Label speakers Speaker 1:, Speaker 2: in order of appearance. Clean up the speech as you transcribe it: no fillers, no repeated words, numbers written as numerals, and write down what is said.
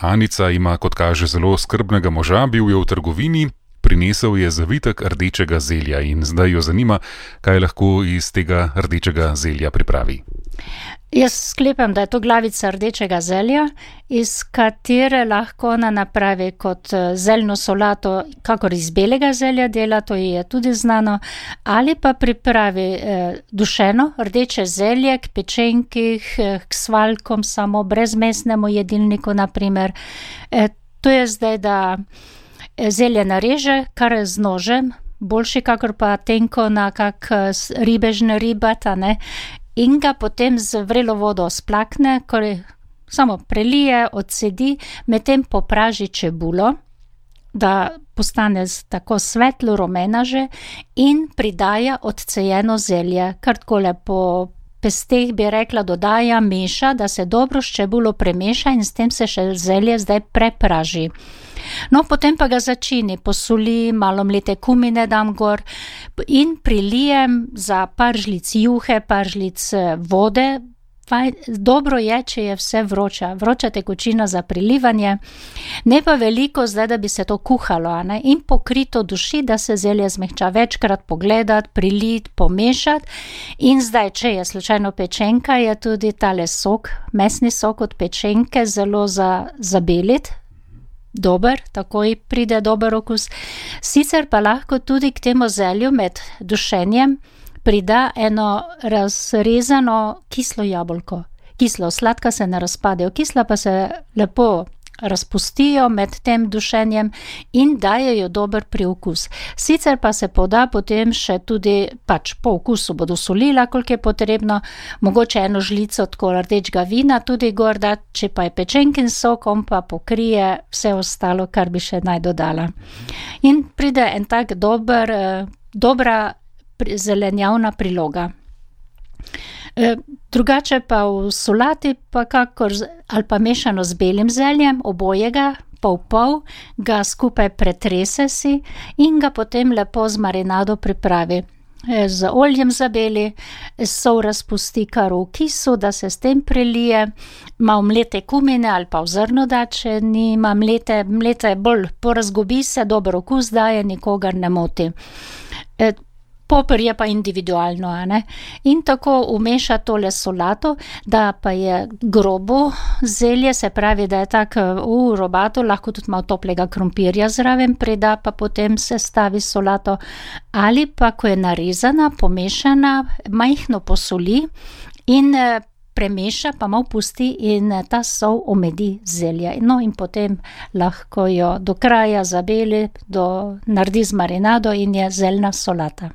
Speaker 1: Anica ima, kot kaže, zelo skrbnega moža, bil je v trgovini, prinesel je zavitek rdečega zelja in zdaj jo zanima, kaj lahko iz tega rdečega zelja pripravi.
Speaker 2: Jaz sklepam, da je to glavica rdečega zelja, iz katere lahko ona napravi kot zeljno solato, kakor iz belega zelja dela, to je tudi znano, ali pa pripravi dušeno rdeče zelje k pečenkih, k svaljkom samo brezmesnemu jedilniku, naprimer. To je zdaj, da zelje nareže, kar z nožem, boljši kakor pa tenko na kak ribežne ribata, ne, in ga potem z vrelo vodo splakne, ko samo prelije, odsedi, medtem popraži čebulo, da postane tako svetlo rumena že, in pridaja odcejeno zelje, kar tako lepo pesteh bi rekla, dodaja, meša, da se dobro s čebulo premeša in s tem se še zelje zdaj prepraži. No, potem pa ga začini, posoli, malo mlete kumine dam gor in prilijem za par žlic juhe, par žlic vode. Dobro je, če je vse vroča tekočina za prilivanje, ne pa veliko zdaj, da bi se to kuhalo, ne? In pokrito duši, da se zelje zmehča, večkrat pogledati, priliti, pomešati. In zdaj, če je slučajno pečenka, je tudi tale sok, mesni sok od pečenke, zelo zabeliti. Dober, takoj pride dober okus. Sicer pa lahko tudi k temu zelju med dušenjem prida eno razrezano kislo jabolko. Kislo, sladka se ne razpadejo, kisla pa se lepo razpustijo med tem dušenjem in dajejo dober priokus. Sicer pa se poda potem še tudi, pač po okusu bodo solila, koliko je potrebno, mogoče eno žlico tako rdečega vina tudi gor dati, če pa je pečenkin sok, on pa pokrije vse ostalo, kar bi še naj dodala. In pride en tak dobra zelenjavna priloga. Drugače pa v solati pa kakor ali pa mešano z belim zeljem, obojega, pol, ga skupaj pretrese si in ga potem lepo z marinado pripravi. Z oljem zabeli, sol razpusti kar v kisu, da se s tem prelije, malo mlete kumine ali pa v zrno da, če nima mlete je bolj porazgobi se, dober okus daje, nikogar ne moti. Poper je pa individualno, ne? In tako umeša tole solato, da pa je grobo zelje, se pravi, da je tak robato, lahko tudi malo toplega krompirja zraven prida, pa potem se stavi solato, ali pa, ko je narezana, pomešana, majhno posoli in premeša, pa malo pusti in ta sol omedi zelje. No, in potem lahko jo do kraja zabeli, naredi z marinado in je zeljna solata.